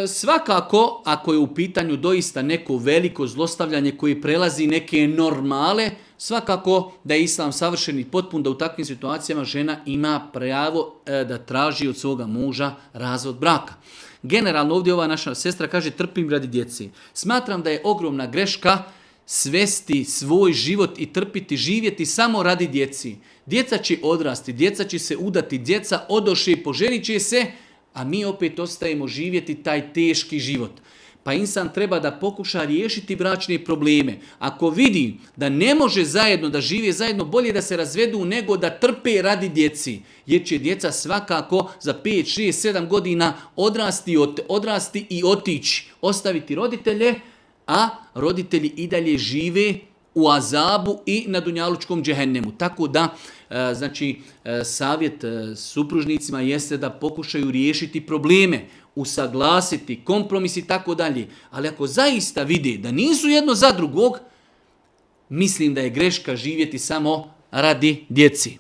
Svakako, ako je u pitanju doista neko veliko zlostavljanje koje prelazi neke normale, svakako da je islam savršen i potpun, da u takvim situacijama žena ima pravo da traži od svoga muža razvod braka. Generalno ovdje ova naša sestra kaže trpim radi djeci. Smatram da je ogromna greška svesti svoj život i trpiti, živjeti samo radi djeci. Djeca će odrasti, djeca će se udati, djeca odoše i poženit će se, a mi opet ostajemo živjeti taj teški život. Pa insan treba da pokuša riješiti bračne probleme. Ako vidi da ne može zajedno, da žive zajedno, bolje da se razvedu nego da trpe radi djeci. Jer će djeca svakako za 5, 6, 7 godina odrasti i otići. Ostaviti roditelje, a roditelji i dalje žive u azabu i na dunjalučkom džehennemu. Tako da, savjet supružnicima jeste da pokušaju riješiti probleme, usaglasiti, kompromis i tako dalje. Ali ako zaista vide da nisu jedno za drugog, mislim da je greška živjeti samo radi djeci.